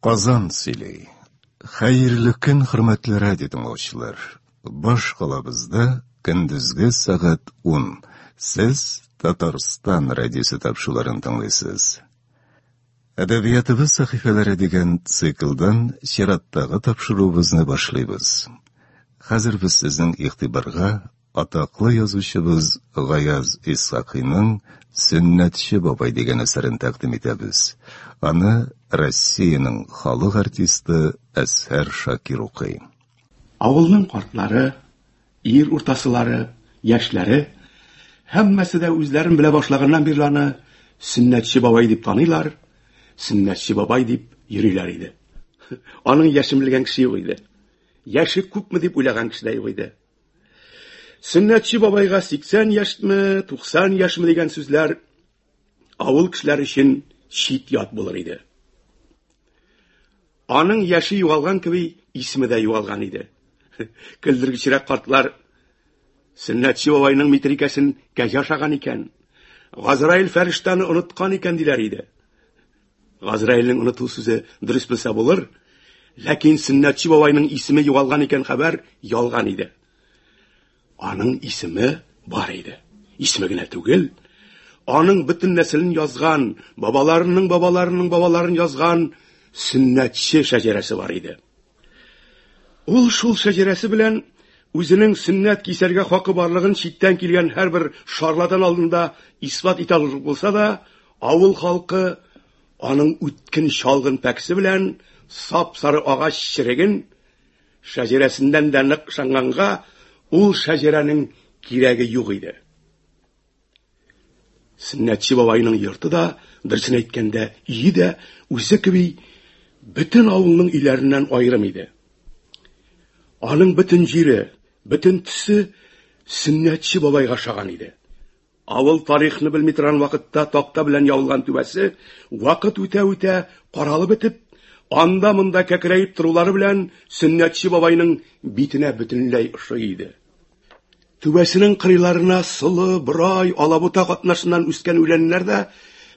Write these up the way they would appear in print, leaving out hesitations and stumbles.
Казан сөйли. Хәерле көн, хөрмәтле радио тыңлаучылар. Баш калабызда көндезге сәгать 10. Сез Татарстан радиосы тапшыруларын тыңлыйсыз. Әдәбиятыбыз сәхифәләре дигән циклдан чираттагы тапшыруыбызны башлыйбыз. Хәзер без сезнең игътибарга Атаклы язучыбыз Гаяз Исхакыйның Сөннәтче бабай дигән әсәрен тәкъдим итәбез. Аны Россиянең халык артисты Әзһәр Шакир укый. Авылның картлары, ир уртасылары, яшьләре, һәммәсе дә үзләрен белә башлаганнан бирле аны Сөннәтче бабай дип таныйлар, Сөннәтче бабай дип йөриләр иде. Аның яшен белгән кеше юк иде. Яше күпме дип уйлаган кеше дә юк иде. Сөннәтче бабайга 80 яшьме, 90 яшьме дигән сүзләр авыл кешеләре өчен чит ят булыр иде. Аның яше югалган кеби, исеме дә югалган иде. Көлдергечрәк картлар Сөннәтче бабайның митрикәсен кәҗә ашаган икән. Газраил фәрештәне оныткан икән диләр иде. Газраилнең оныту сүзе дөрес булса булыр, ләкин Сөннәтче бабайның исеме югалган икән хәбәр ялган иде. Аның исеме бар иде. Исеме генә түгел, аның бөтен нәселен язган, бабаларының бабаларының бабаларын язган сөннәтче шәҗәрәсе бар иде. Ул шул шәҗәрәсе белән үзенең сөннәт кисәргә хакы барлыгын читтән килгән һәрбер шарлатан алдында исбат итә алырлык булса да, авыл халкы аның үткен чалгын пәкесе белән сап-сары агач череген шәҗәрәсеннән дә нык ышанганга, ул шәҗәрәнең кирәге юк иде. Сөннәтче бабайның йорты да, дөресен әйткәндә, өе дә үзе кеби бөтен авылның өйләреннән аерым иде. Аның бөтен җире, бөтен төсе Сөннәтче бабайга ошаган иде. Авыл тарихны белми торган вакытта такта белән ябылган түбәсе вакыт үтә-үтә каралып бетеп, анда-монда кәкрәеп торулары белән Сөннәтче бабайның битенә бөтенләй ошый иде. Түбәсенең кырыйларына солы, борай, алабута катнашыннан үскән үләннәр дә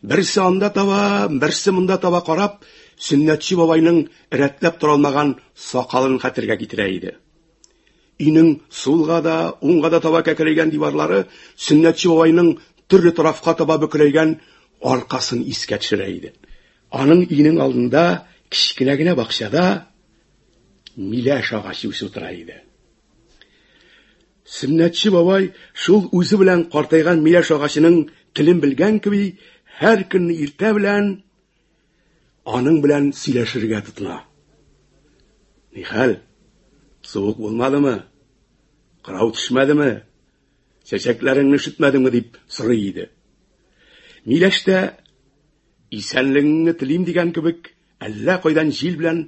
берсе анда таба, берсе монда таба карап, Сөннәтче бабайның рәтләп тора алмаган сакалын хәтергә китерә иде. Өйнең сулга да, уңга да таба кәкрәйгән диварлары Сөннәтче бабайның төрле тарафка таба бөкрәйгән аркасын искә төшерә иде. Аның өенең алдында кечкенә генә бакчада миләш агачы үсеп утыра иде. Сөннәтче бабай шул үзе белән картайган миләш агачының телен белгән кеби, һәр көнне иртә белән аның белән сөйләшергә тотына. Нихәл? Суык булмадымы? Кырау төшмәдеме? Чәчәкләреңне өшетмәдеңме дип сорый иде. Миләш тә исәнлегеңне телим дигән кебек, әллә кайдан җил белән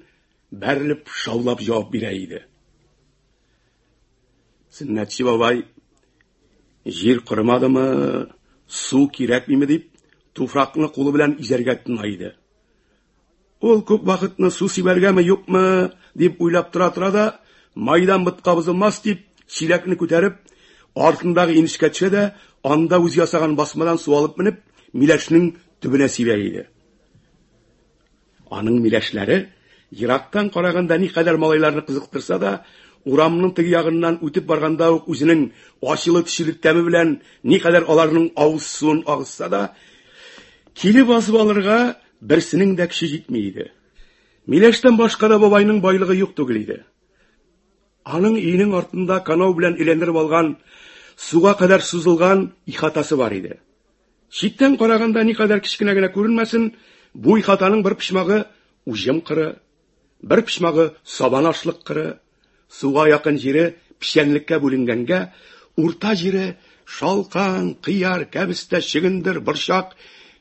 бәрелеп шаулап җавап бирә иде. Сөннәтче бабай җир корымадымы, су кирәкмиме дип, туфракны кулы белән изәргә тотына иде. Ул күп вакытны су сибәргәме, юкмы дип уйлап тора-тора да, майдан ботка бозылмас дип, чиләкне күтәреп, артындагы инешкә төшә дә, анда үзе ясаган басмадан су алып менеп, миләшнең төбенә сибә иде. Аның миләшләре ерактан караганда никадәр малайларны кызыктырса да, урамның теге ягыннан үтеп барганда ук үзенең ачылы-төчеле тәме белән никадәр аларның авыз суын агызса да, килеп басып алырга берсенең дә көче җитми иде. Миләштән башка да бабайның байлыгы юк түгел иде. Аның өенең артында канау белән әйләндереп алган, суга кадәр сузылган ихатасы бар иде. Читтән караганда никадәр кечкенә генә күренмәсен, бу ихатаның бер почмагы уҗым кыры, бер почмагы сабан ашлык кыры, суга якын җире печәнлеккә бүленгәнгә, урта җире шалкан, кыяр, кәбестә, чөгендер, борчак,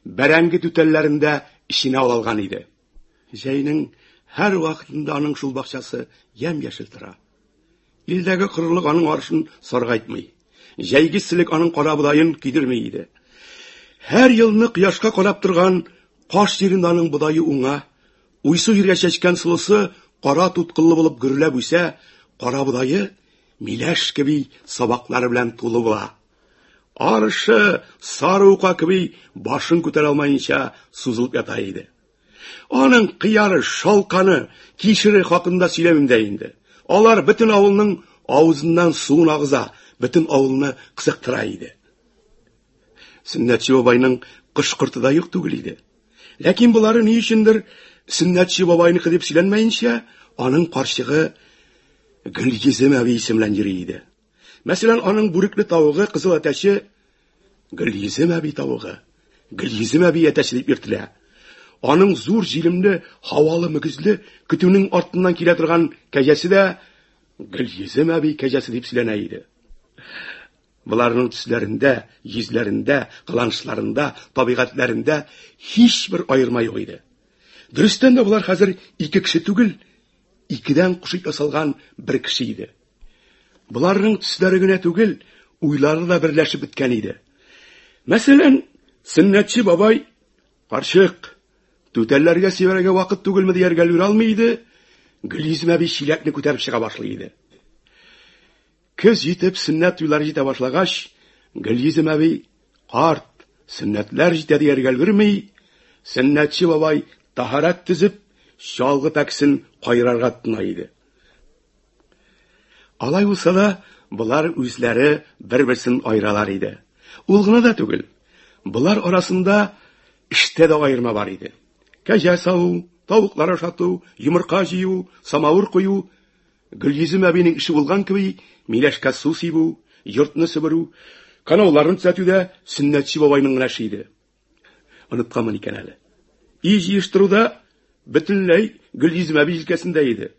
бәрәңге түтәлләрен дә эченә алган иде. Җәйнең һәр вакытында аның шул бакчасы ямь-яшел тора. Илдәге корылык аның арышын саргайтмый. Җәйге эсселек аның карабодаен көйдерми иде. Һәр елны кояшка карап торган каш җирендә аның бодае уңа, уйсу җиргә чәчкән солысы кара туткыллы булып гөрләп үсә, карабодае миләш кеби сабаклары белән тулы була. Арышы сары ука кеби башын күтәрә алмаенча сузылып ята иде. Аның кыяры, шалканы, кишере хакында сөйләмим дә инде. Алар бөтен авылның авызыннан суын агыза, бөтен авылны кызыктыра иде. Сөннәтче бабайның кош-корты да юк түгел иде. Ләкин болары ни өчендер Сөннәтче бабайныкы дип сөйләнмәенчә, аның карчыгы Гөлйөзем әби исеме белән йөри иде. Мәсәлән, аның бүрекле тавыгы, кызыл әтәче Гөлйөзем әби тавыгы, Гөлйөзем әби әтәче дип йөртелә. Аның зур җилемле, һавалы мөгезле көтүнең артыннан килә торган кәҗәсе дә Гөлйөзем әби кәҗәсе дип сөйләнә иде. Боларның төсләрендә, йөзләрендә, кыланышларында, табигатьләрендә һичбер аерма юк иде. Дөрестән дә болар хәзер ике кеше түгел, икедән кушып ясалган бер кеше иде. Боларның төсләре генә түгел, уйлары да берләшеп беткән иде. Мәсәлән, Сөннәтче бабай Карчык, түтәлләргә сибәргә вакыт түгелме дияргә өлгерә алмый иде, Гөлйөзем әби чиләкне күтәреп чыга башлый иде. Көз җитеп, сөннәт туйлары җитә башлагач, Гөлйөзем әби, карт, сөннәтләр җитә дияргә өлгерми, сөннәтче бабай таһарәт төзеп, чалгы пәкесен кайрарга тотына иде. Алай булса да, болар үзләре бер-берсен аералар иде. Ул гына да түгел, болар арасында эштә дә аерма бар иде. Кәҗә саву, тавыклар ашату, йомырка җыю, самавыр кую, Гөлйөзем әбинең эше булган кеби, миләшкә су сибү, йортны себерү, канауларын төзәтү дә Сөннәтче бабайның гына эше иде. Онытканмын икән әле. Өй җыештыруда бөтенләй Гөлйөзем әби җилкәсендә иде.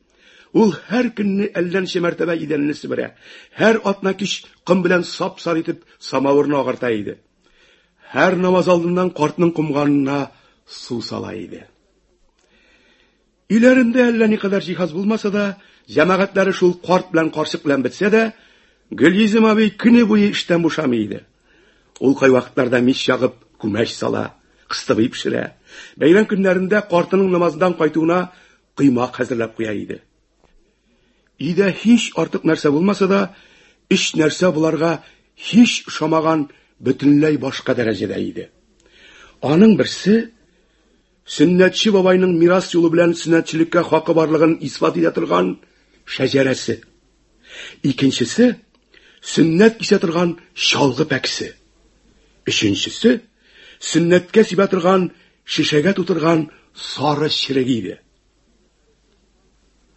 Ул һәр көнне әллә ничә мәртәбә идәнне себерә, һәр атна кич ком белән сап-сары итеп самавырны агарта иде. Һәр намаз алдыннан картның комганына су сала иде. Өйләрендә әллә никадәр җиһаз булмаса да, җәмәгатьләре шул карт белән карчык белән бетсә дә, Гөлйөзем абый көне буе эштән бушамый иде. Ул кайвакытларда мич ягып, күмәч сала, кыстыбый пешерә. Бәйрәм көннәрендә картының намаздан кайтуына коймак хәзерләп куя иде. Өйдә һич артык нәрсә булмаса да, өч нәрсә боларга һич ошамаган бөтенләй башка дәрәҗәдә иде. Аның берсе Сөннәтче бабайның мирас юлы белән сөннәтчелеккә хакы барлыгын исбат итә торган шәҗәрәсе. Икенчесе сөннәт кисә торган чалгы пәкесе. Өченчесе сөннәткә сибә торган шешәгә тутырган сары череге иде.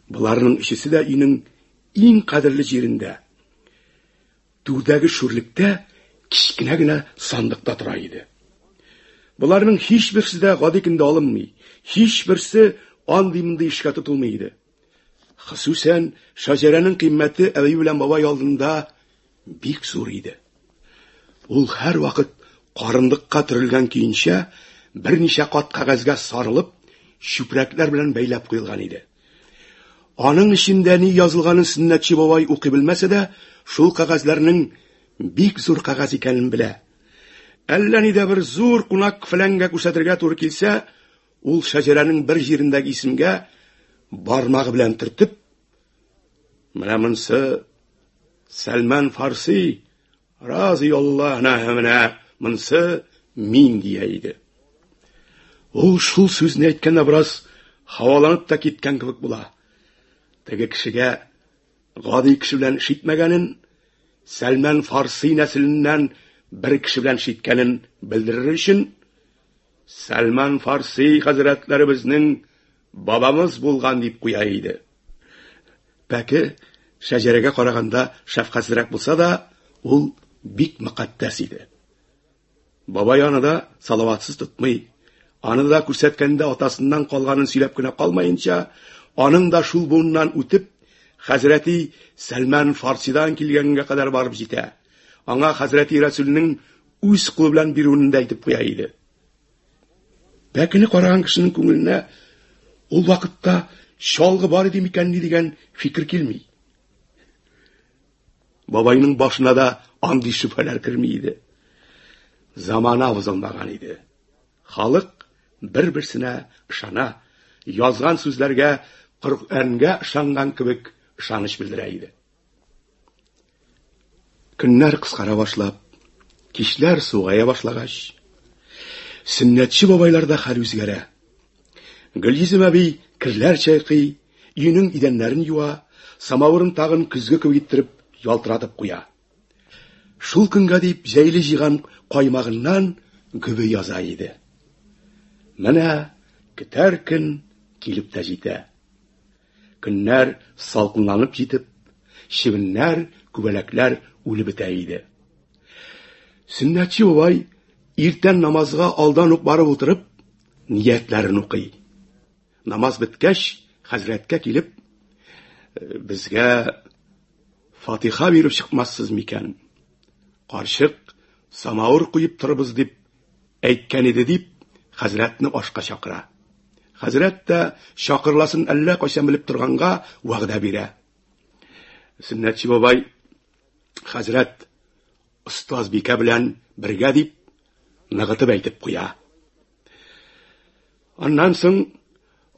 Боларның өчесе дә өйнең иң кадерле җирендә, Түрдәге шүрлектә кечкенә генә сандыкта тора иде. Боларның һичберсе дә гади көндә алынмый, һичберсе андый-мондый эшкә тотылмый иде. Хосусән шәҗәрәнең кыйммәте әби белән бабай алдында бик зур иде. Ул һәрвакыт карындыкка төрелгән көенчә берничә кат кәгазьгә сарылып, чүпрәкләр белән бәйләп куелган иде. Аның эчендә ни язылганын Сөннәтче бабай укый белмәсә дә, шул кәгазьләрнең бик зур кәгазь икәнен белә. Әллә нидә бер зур кунак фәләнгә күрсәтергә туры килсә, ул шәҗәрәнең бер җирендәге исемгә бармагы белән төртеп, менә монсы Сәлман Фарси, Разый Аллаһ, менә монсы мин дия иде. Ул шул сүзне әйткәндә бераз һаваланып та киткән кебек була. Теге кешегә гади кеше белән эш итмәгәнен, Сәлмән Фарси нәселеннән бер кеше белән эш иткәнен белдерер өчен, Сәлман Фарси хәзрәтләребезнең бабамыз булган дип куя иде. Пәке шәҗәрәгә караганда шәфкатьсезрәк булса да, ул бик мөкатдәс иде. Бабай аны да салаватсыз тотмый. Аны да күрсәткәндә атасыннан калганын сөйләп кенә калмаенча, аның да шул буыннан үтеп, хәзрәти Сәлман Фарсидан килгәнгә кадәр барып җитә. Аңа хәзрәти Рәсүлнең үз кулы белән бирүен дә әйтеп куя иде. Пәкене караган кешенең күңеленә ул вакытта чалгы бар иде микәнни дигән фикер килми. Бабайның башына да андый шөбһәләр керми иде. Замана бозылмаган иде. Халык бер-берсенә ышана, язган сүзләргә Коръәнгә ышанган кебек ышаныч белдерә иде. Көннәр кыскара башлап, кичләр сугая башлагач, сөннәтче бабайларда хәл үзгәрә. Гөлйөзем әби керләр чайкый, өенең идәннәрен юа, самавырын тагын көзге кебек иттереп ялтыратып куя. Шул көнгә дип җәйле җыйган каймагыннан гөбе яза иде. Менә көтәр көн килеп тә җитә. Көннәр салкынланып җитеп, чебеннәр, күбәләкләр үлеп бетә иде. Сөннәтче бабай иртән намазга алдан ук барып утырып, ниятләрен укый. Намаз беткәч, хәзрәткә килеп, безгә фатиха биреп чыкмассыз микән? Карчык самавыр куеп торыбыз дип әйткән иде дип, хәзрәтне ашка чакыра. Хәзрәт тә чакырыласын әллә кайчан белеп торганга вәгъдә бирә. Сөннәтче бабай хәзрәт остазбикә белән бергә дип ныгытып әйтеп куя. Аннан соң,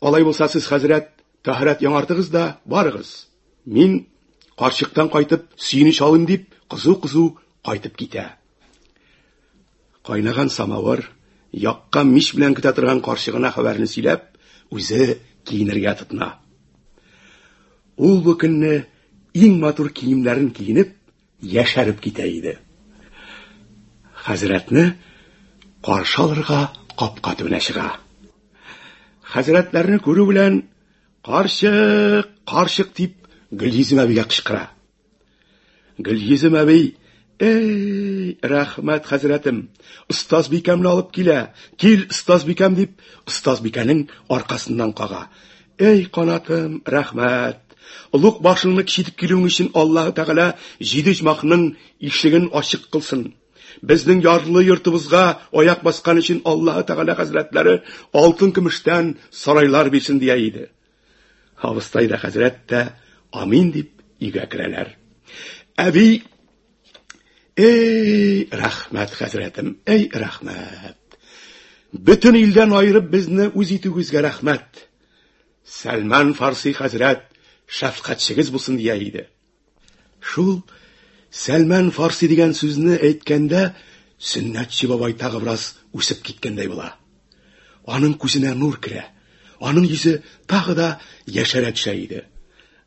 алай булса сез хәзрәт тәһарәт яңартыгыз да барыгыз. Мин карчыктан кайтып сөенеч алыйм дип кызу-кызу кайтып китә. Кайнаган самавыр, яккан мич белән көтә торган карчыгына хәбәрне сөйләп, үзе киенергә тотына. Ул бу көнне иң матур киемнәрен киенеп, яшәреп китә иде. Хәзрәтне каршы алырга капка төбенә чыга. Хәзрәтләрне күрү белән «Карчык, карчык!» дип Гөлйөзем әбигә кычкыра. Гөлйөзем әби, «Эй, рәхмәт, хәзрәтем, остазбикәмне алып килә, кил, остазбикәм!» дип, остазбикәнең аркасыннан кага. «Эй, канатым, рәхмәт! Олуг башыңны кичетеп килүең өчен Аллаһы Тәгалә җиде оҗмахның ишеген ачык кылсын. Безнең ярлы йортыбызга аяк баскан өчен Аллаһы Тәгалә хәзрәтләре алтын-көмештән сарайлар бирсен», дия иде. Абыстай да хәзрәт тә амин дип өйгә керәләр. Әби, эй, рәхмәт, хәзрәтем, эй, рәхмәт. Бөтен илдән аерып безне үз итүегезгә рәхмәт. Сәлман Фарси хәзрәт шәфкатьчегез булсын дия иде. Шул Сәлман Фарси дигән сүзне әйткәндә Сөннәтче бабай тагы бераз үсеп киткәндәй була. Аның күзенә нур керә, аның йөзе тагы да яшәрә төшә иде.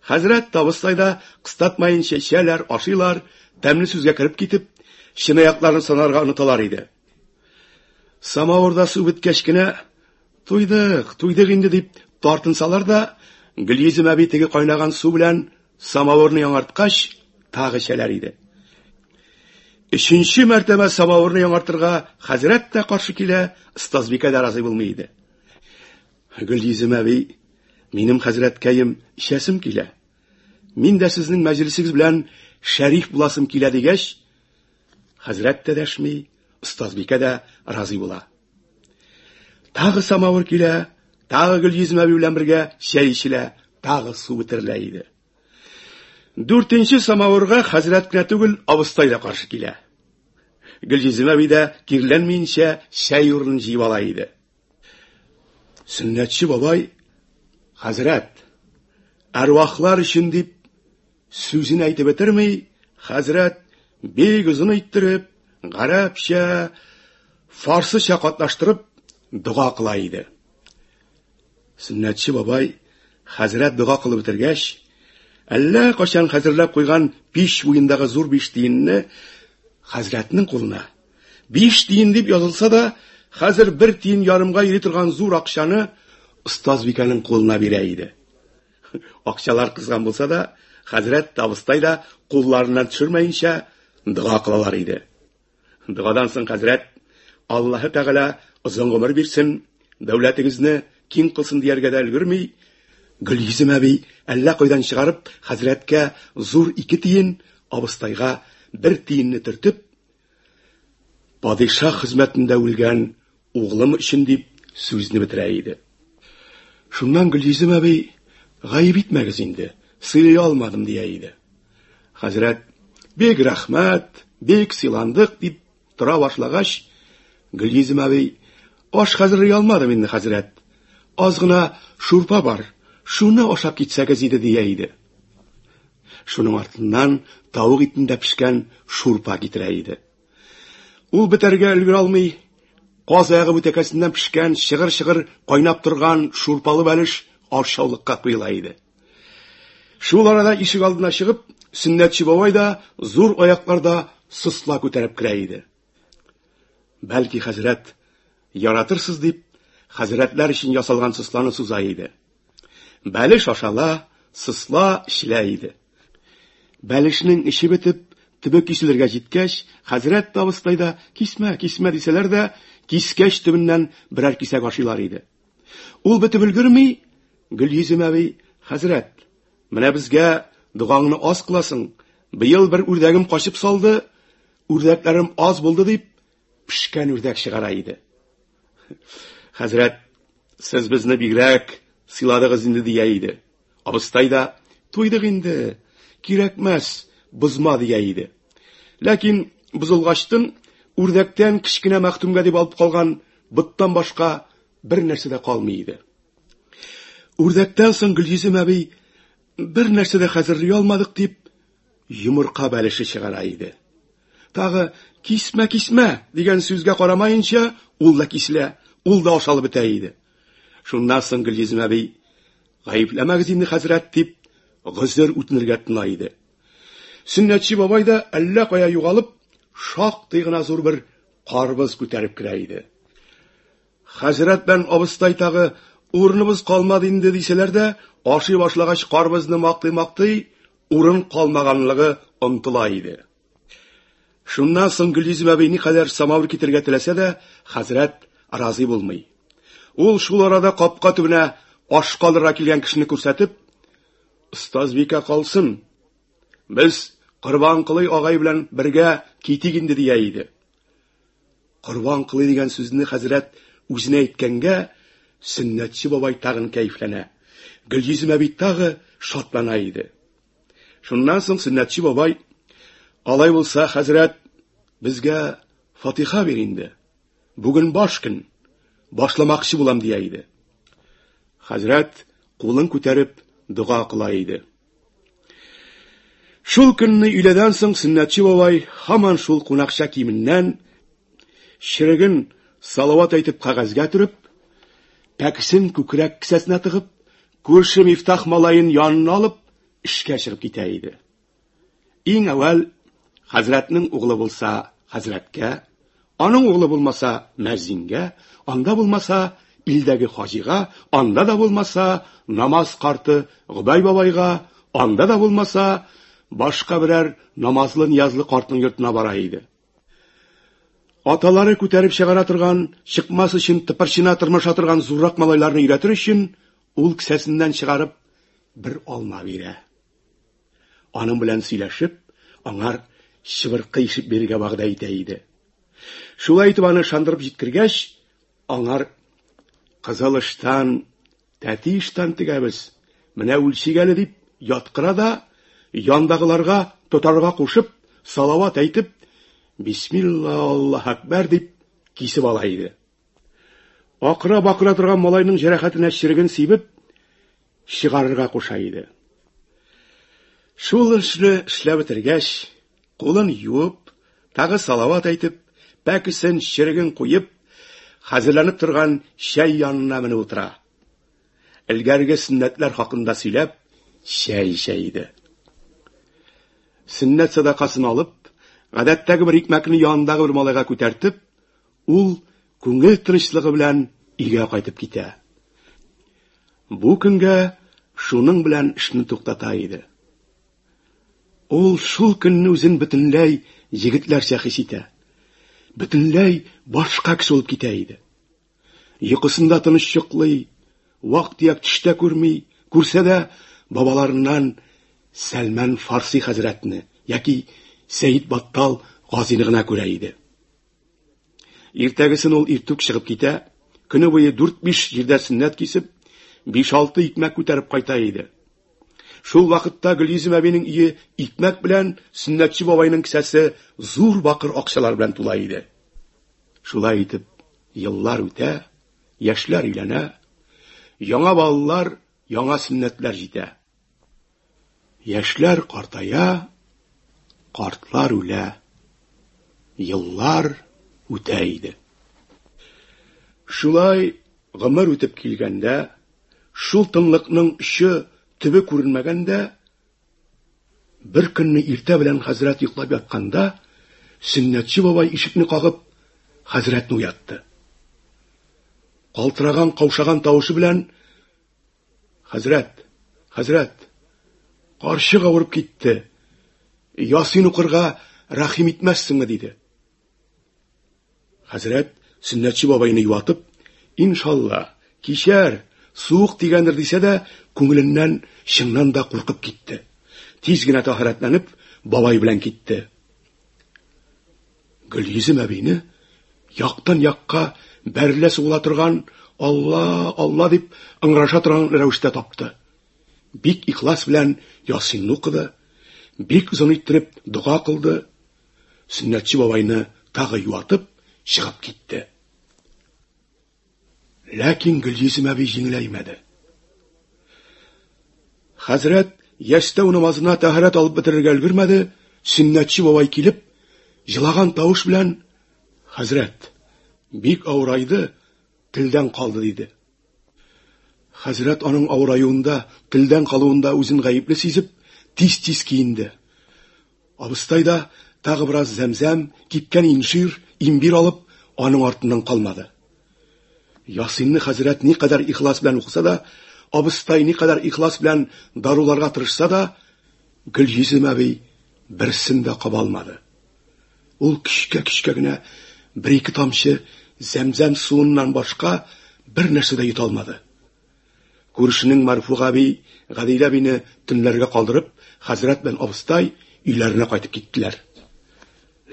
Хәзрәт абыстай да кыстатмаенча эчәләр, ашыйлар, тәмле сүзгә кереп китеп, чынаякларын санарга оныталар иде. Самавырда су беткәч кенә, туйдык, туйдык инде дип тартынсалар да, Гөлйөзем әби теге кайнаган су белән самавырны яңарткач, тагы эчәләр иде. Өченче мәртәбә самавырны яңартырга хәзрәт тә каршы килә, остазбикә дә разый булмый иде. Гөлйөзем әби, минем хәзрәткәем, эчәсем килә. Мин дә сезнең мәҗлесегез белән шәриф буласым килә дигәч, хәзрәт тә дәшми, остазбикә дә разый була. Тагы самавыр килә, тагы Гөлйөзем әби белән бергә чәй эчелә, тагы су бетерелә иде. Дүртенче самавырга хәзрәт кенә түгел, абыстай да каршы килә. Гөлйөзем әби дә кирләнмиенчә чәй урынын җыеп ала иде. Сөннәтче бабай, хәзрәт, әрвахлар өчен дип сүзен әйтеп бетерми, хәзрәт бик озын иттереп, гарәпчә, фарсыча катнаштырып дога кыла иде. Сөннәтче бабай хәзрәт дога кылып бетергәч, әллә кайчан хәзерләп куйган пич буендагы зур биш тиенне хәзрәтнең кулына, биш тиен дип язылса да, хәзер бер тиен ярымга йөри торган зур акчаны остазбикәнең кулына бирә иде. Акчалар кызган булса да, хәзрәт тә, абыстай да кулларыннан төшермәенчә дога кылалар иде. Догадан соң хәзрәт, Аллаһы Тәгалә озын гомер бирсен, дәүләтегезне киң кылсын дияргә дә өлгерми, Гөлйөзем әби әллә кайдан чыгарып хәзрәткә зур 2 тиен, абыстайга 1 тиенне төртеп, падишаһ хезмәтендә үлгән углым өчен дип сүзне бетерә иде. Шуннан Гөлйөзем әби, гаеп итмәгез инде, сыйлый алмадым дия иде. Хәзрәт, бик рәхмәт, бик сыйландык дип тора башлагач, Гөлйөзем әби, аш хәзерли алмадым инде, хәзрәт. Аз гына шурпа бар, шуны ашап китсәгез иде дия иде. Шуның артыннан тавык итендә пешкән шурпа китерә иде. Ул бетәргә өлгерә алмый. Каз аягы бүтәкәсеннән пешкән, чыгыр-чыгыр кайнап торган шурпалы бәлеш ашъяулыкка куела иде. Шул арада ишек алдына чыгып, Сөннәтче бабай да зур аякларда сосла күтәреп керә иде. Бәлки хәзрәт яратырсыз дип, хәзрәтләр өчен ясалган сосланы суза иде. Бәлеш ашала, сосла эчелә иде. Бәлешнең эче бетеп, төбе киселергә җиткәч, хәзрәт тә абыстай да кисмә, кисмә дисәләр дә, кискәч төбеннән берәр кисәк ашыйлар иде. Ул бетеп өлгерми, Гөлйөзем әби, хәзрәт, менә безгә догаңны аз кыласың, быел бер үрдәгем качып салды, үрдәкләрем аз булды дип, пешкән үрдәк чыгара иде. Хәзрәт, сез безне бигрәк сыйладыгыз инде дия иде. Абыстай да, туйдык инде, кирәкмәс, бозма дия иде. Ләкин бозылгачтын үрдәктән кечкенә мәхтүмгә дип алып калган боттан башка бер нәрсә дә калмый иде. Үрдәктән соң Гөлйөзем әби бер нәрсә дә хәзерли алмадык дип йомырка бәлеше чыгара иде. Тагы кисмә, кисмә дигән сүзгә карамаенча, ул да киселә, ул да ашалып бетә иде. Шуннан соң Гөлйөзем әби гаепләмәгез инде хәзрәт дип гозер үтенергә тотына иде. Сөннәтче бабай да әллә кая югалып, шактый гына зур бер карбыз күтәреп керә иде. Хәзрәт белән абыстай тагы урыныбыз калмады инде дисәләр дә, ашый башлагач карбызны мактый-мактый, урын калмаганлыгы онтыла иде. Шуннан соң Гөлйөзем әби никадәр самавыр китерергә теләсә дә, хәзрәт разый булмый. Ул шул арада капка төбенә аш калырга килгән кешене күрсәтеп, "Остазбикә калсын. Без Корбанколый агай белән бергә китик инде" дия иде. Корбанколый дигән сүзне хәзрәт үзенә әйткәнгә, Сөннәтче бабай тагын кәефләнә. Гөлйөзем әби тагы шатлана иде. Шуннан соң Сөннәтче бабай, алай булса, хәзрәт, безгә фатиха бир инде. Бүген баш көн, башламакчы булам дия иде. Хәзрәт кулын күтәреп дога кыла иде. Шул көнне өйләдән соң Сөннәтче бабай һаман шул кунакча киеменнән череген салават әйтеп кәгазьгә төреп, пәкесен күкрәк кесәсенә тыгып, күрше Мифтах малаен янына алып, эшкә чыгып китә иде. Иң әүвәл хәзрәтнең углы булса, хәзрәткә, аның углы булмаса, мәзингә, анда булмаса, илдәге хаҗига, анда да булмаса, намаз карты Гобәй бабайга, анда да булмаса, башка берәр намазлы-ниязлы картның йортына бара иде. Аталары күтәреп чыгара торган, чыкмас өчен тыпырчына тырмаша торган зуррак малайларны өйрәтер өчен, ул кесәсеннән чыгарып бер алма бирә. Аның белән сөйләшеп, аңар чыбыркы ишеп бирергә вәгъдә итә иде. Шулай итеп аны ышандырып җиткергәч, аңар кызыл ыштан, тәти ыштан тегәбез, менә үлчик әле дип яткыра да, яндагыларга тотарга кушып, салават әйтеп, Бисмилла, Аллаһ әкбәр дип кисеп ала иде. Акыра-бакыра торган малайның җәрәхәтенә череген сибеп, чыгарырга куша иде. Шул эшне эшләп бетергәч, кулын юып, тагы салават әйтеп, пәкесен, череген куеп, хәзерләнеп торган чәй янына менеп утыра. Элгәрге сөннәтләр хакында сөйләп, чәй эчә иде. Сөннәт садакасын алып, гадәттәге бер икмәкне янындагы бер малайга күтәртеп, ул күңел тынычлыгы белән өйгә кайтып китә. Бу көнгә шуның белән эшне туктата иде. Ул шул көнне үзен бөтенләй егетләрчә хис итә. Бөтенләй башка кеше булып китә иде. Йокысында тыныч йоклый, вак-төяк төш тә күрми, күрсә дә бабаларыннан Сәлмән Фарси хәзрәтне яки Сәид Баттал Газины гына күрә иде. Иртәгесен ул иртүк чыгып китә, көне буе дүрт-биш җирдә сөннәт кисеп, биш-алты икмәк күтәреп кайта иде. Шул вакытта Гөлйөзем әбинең өе икмәк белән, сөннәтче бабайның кесәсе зур бакыр акчалар белән тула иде. Шулай итеп, еллар үтә, яшьләр өйләнә, яңа балалар, яңа сөннәтләр җитә. Яшьләр картая, картлар үлә. Еллар үтә иде. Шулай гомер үтеп килгәндә, шул тынлыкның очы, төбе күренмәгәндә, бер көнне иртә белән хәзрәт йоклап ятканда, Сөннәтче бабай ишекне кагып, хәзрәтне уятты. Калтыраган, каушаган тавышы белән: "Хәзрәт, хәзрәт, карчык авырып китте. Ясин укырга рәхим итмәссеңме?" диде. Хәзрәт Сөннәтче бабайны юатып, иншалла, кичәр, суык тигәндер дисә дә, күңеленнән чыннан да куркып китте. Тиз генә тәһарәтләнеп, бабай белән китте. Гөлйөзем әбине яктан якка бәрелә сугыла торган Алла, Алла дип ыңгыраша торган рәвештә тапты. Бик ихлас белән Ясинны укыды, бик озын иттереп дога кылды. Сөннәтче бабайны тагы юатып чыгып китте. Ләкин Гөлйөзем әби җиңеләймәде. Хәзрәт ястәү намазына тәһарәт алып бетерергә өлгермәде, сөннәтче бабай килеп, җылаган тавыш белән: "Хәзрәт, бик авырайды, телдән калды", диде. Хәзрәт аның авыраюында, телдән калуында үзен гаепле сизеп, тиз-тиз киенде. Абыстай да тагы бераз зәмзәм, кипкән инжир, имбир алып, аның артыннан калмады. Ясинны хәзрәт никадәр ихлас белән укыса да, абыстай никадәр ихлас белән даруларга тырышса да, Гөлйөзем әби берсен дә каба алмады. Ул көчкә-көчкә генә бер-ике тамчы зәмзәм суыннан башка бер нәрсә дә йота алмады. Күршенең Марфуга әби Гадилә әбине төнләргә калдырып, хәзрәт белән абыстай өйләренә кайтып киттеләр.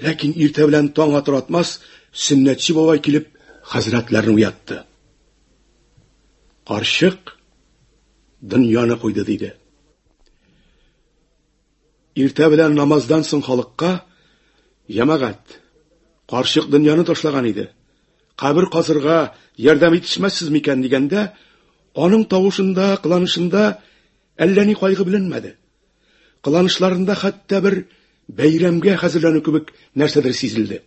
Ләкин иртә белән таң атыр атмас, сөннәтче бабай килеп, хәзрәтләрне уятты. Карчык дөньяны куйды, диде. Иртә белән намаздан соң халыкка, Җәмәгать, карчык дөньяны ташлаган иде. Кабер казырга ярдәм итешмәссез микән дигәндә, аның тавышында, кыланышында әллә ни кайгы беленмәде. Кыланышларында хәтта бер бәйрәмгә хәзерләнү кебек нәрсәдер сизелде.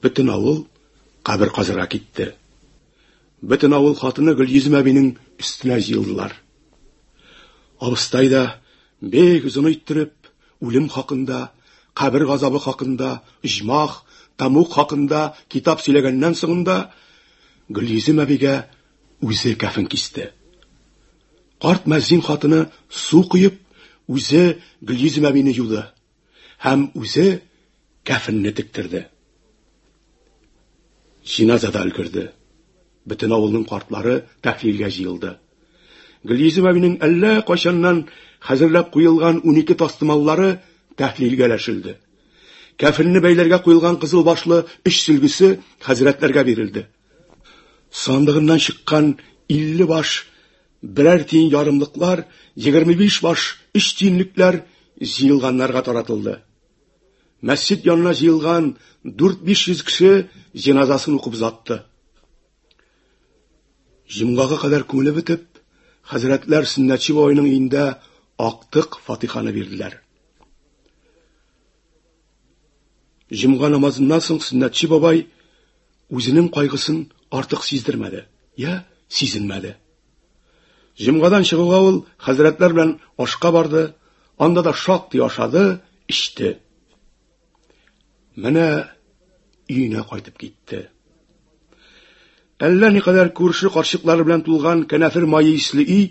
Бөтен авыл кабер казырга китте. Бөтен авыл хатыны Гөлйөзем әбинең өстенә җыелдылар. Абыстай да бик озын иттереп үлем хакында, кабер газабы хакында, оҗмах, тәмуг хакында китап сөйләгәннән соңында Гөлйөзем әбигә үзе кәфен кисте. Карт мәзин хатыны су коеп, үзе Гөлйөзем әбине юды һәм үзе кәфенне тектерде. Җиназа да өлгерде. Бөтен авылның картлары тәхлилгә җыелды. Гөлйөзем әбинең әллә кайчаннан хәзерләп куелган 12 тастымаллары тәхлилгә өләшелде. Кәфенне бәйләргә куелган кызыл башлы өч сөлгесе хәзрәтләргә бирелде. Сандыгыннан чыккан 50 баш берәр тиен ярымлыклар, 25 баш өч тиенлекләр җыелганнарга таратылды. Мәсҗид янына җыелган 4-500 кеше җеназасын укып озатты. Җомгага кадәр күңеле бетеп, хәзрәтләр Сөннәтче бабайның өендә актык фатиханы бирделәр. Җомга намазыннан соң Сөннәтче бабай үзенең кайгысын артык сиздермәде, я сизенмәде. Җомгадан чыгуга ул хәзрәтләр белән ашка барды, анда да шактый ашады, эчте. Менә өенә кайтып китте. Әллә никадәр күрше карчыклары белән тулган кәнәфер мае исле өй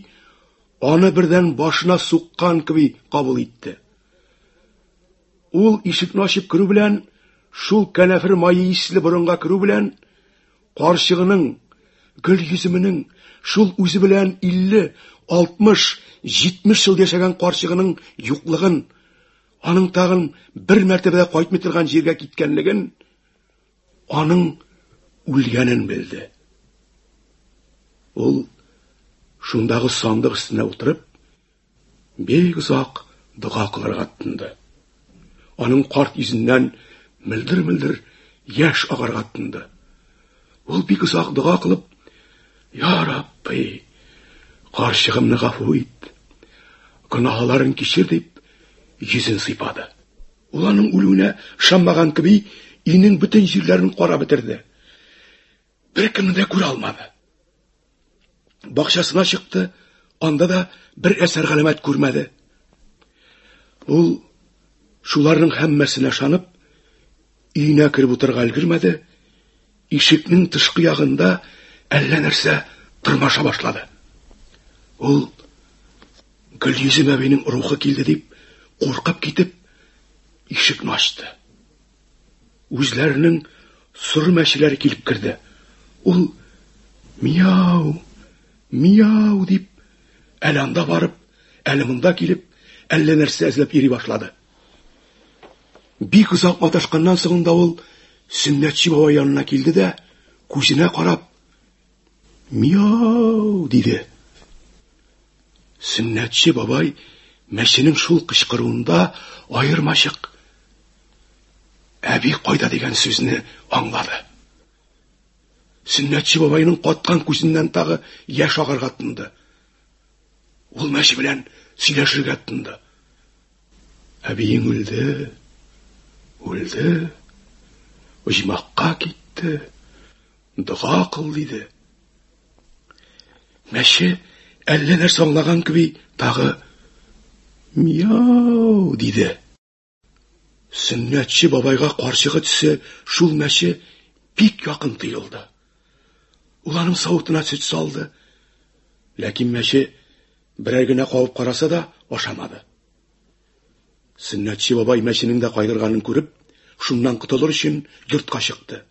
аны бердән башына суккан кеби кабул итте. Ул ишекне ачып керү белән, шул кәнәфер мае исле борынга керү белән, карчыгының, гөл йөземенең, шул үзе белән 50, 60, 70 ел яшәгән карчыгының юклыгын, аның тагын бер мәртәбә дә кайтмый торган җиргә киткәнлеген, аның үлгәнен белде. Ул шундагы сандык өстенә утырып, бик озак дога кылырга тотынды. Аның карт йөзеннән мөлдер-мөлдер яшь агарга тотынды. Ул бик озак дога кылып, Я Рабби, карчыгымны гафу ит, гөнаһларын кичер дип, йөзен сыйпады. Ул аның үлүенә ышанмаган кеби, өйнең бөтен җирләрен карап бетерде. Беркемне дә күрә алмады. Бакчасына чыкты, анда да бер әсәр галәмәт күрмәде. Ул шуларның һәммәсенә ышанып, өенә кереп утырырга өлгермәде, ишекнең тышкы ягында әллә нәрсә тырмаша башлады. Ул Гөлйөзем әбинең рухы килде дип, куркып китеп, ишекне ачты. Үзләренең соры мәчеләре килеп керде. Ул мияу, мияу дип, әле анда барып, әле монда килеп, әллә нәрсә эзләп йөри башлады. Бик озак маташканнан соң да ул Сөннәтче бабай янына килде дә, күзенә карап, Мияу! диде. Сөннәтче бабай мәченең шул кычкыруында аермачык әби кайда дигән сүзне аңлады. Сөннәтче бабайның каткан күзеннән тагы яшь агарга тотынды. Ул мәче белән сөйләшергә тотынды. Әбиең үлде, үлде, оҗмахка китте. Дога кыл, диде. Мәче әллә нәрсә аңлаган кеби тагы мияу диде. Сөннәтче бабайга карчыгы төсе шул мәче бик якын тоелды. Ул аның савытына сөт салды. Ләкин мәче берәр генә кабып караса да ашамады. Сөннәтче бабай мәченең дә кайгырганын күреп, шуннан котылыр өчен йортка чыкты.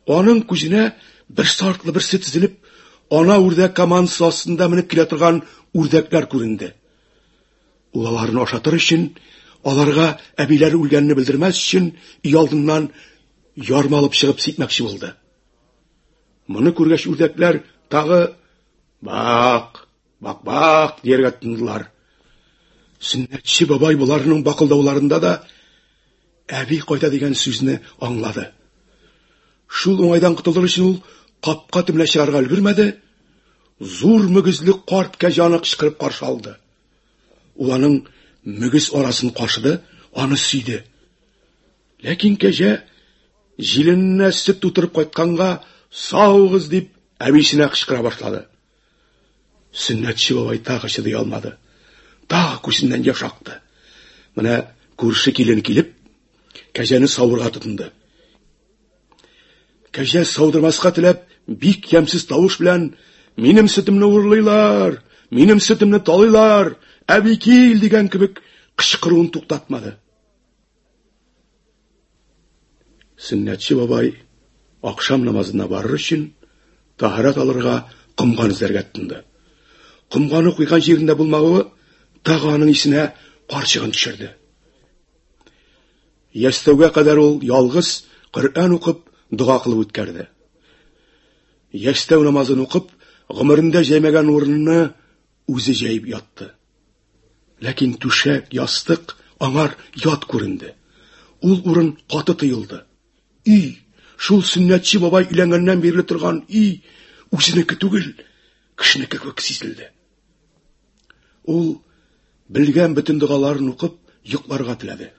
Аның күзенә берсе артлы берсе тезелеп, ана үрдәк командасы астында менеп килә торган үрдәкләр күренде. Ул аларны ашатыр өчен, аларга әбиләре үлгәнне белдермәс өчен, өйалдыннан ярма алып чыгып сипмәкче булды. Моны күргәч үрдәкләр тагы бак, Бак-бак дияргә тотындылар. Сөннәтче бабай боларның бакылдауларында да әби кайта дигән сүзне аңлады. Шул уңайдан котылыр өчен ул капка төбенә чыгарга өлгермәде, зур мөгезле карт кәҗә аны кычкырып каршы алды. Ул аның мөгез арасын кашыды, аны сөйде. Ләкин кәҗә җилененә сөт тутырып кайтканга саугыз дип әбисенә кычкыра башлады. Сөннәтче бабай тагы чыдый алмады. Тагы күзеннән яшь акты. Менә күрше килен килеп, кәҗәне савырга тотынды. Кәҗә саудырмаска теләп, бик ямьсез тавыш белән: "Минем сөтемне урлыйлар, минем сөтемне талыйлар, әби кил!" дигән кебек кычкыруын туктатмады. Сөннәтче бабай ахшам намазына барыр өчен таһарат алырга комган эзләргә тотынды. Комганы куйган җирендә булмавы тагы аның исенә карчыгын төшерде. Ястәүгә кадәр ул ялгыз Коръән укып, дога кылып үткәрде. Ястәү намазын укып, гомерендә җәймәгән урынны үзе җәеп ятты. Ләкин түшәк, ястык аңар ят күренде. Ул урын каты тоелды. Өй, шул сөннәтче бабай өйләнгәннән бирле торган өй, үзенеке түгел, кешенеке кебек сизелде. Ул белгән бөтен догаларын укып, йокларга теләде.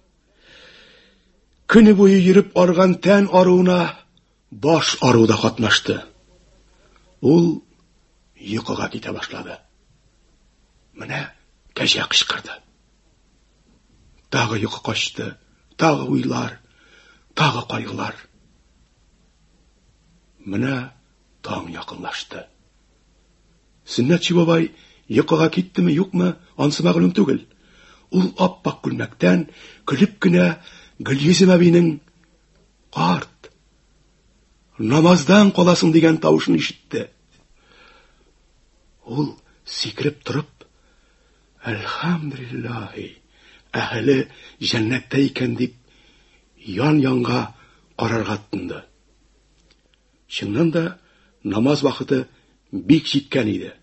Көне буе йөреп арган тән аруына баш ару да катнашты. Ул йокыга китә башлады. Менә кәҗә кычкырды. Тагы йокы качты, тагы уйлар, тагы кайгылар. Менә таң якынлашты. Сөннәтче бабай йокыга киттеме, юкмы, ансы мәгълүм түгел. Ул ап-ак күлмәктән көлеп кенә Гөлйөзем әбинең Карт, намаздан каласың дигән тавышын ишетте. Ул сикереп торып, Әлхәмдүлиллаһи, әһеле җәннәттә икән дип, ян-янга карарга тотынды. Чыннан да намаз вакыты бик җиткән иде.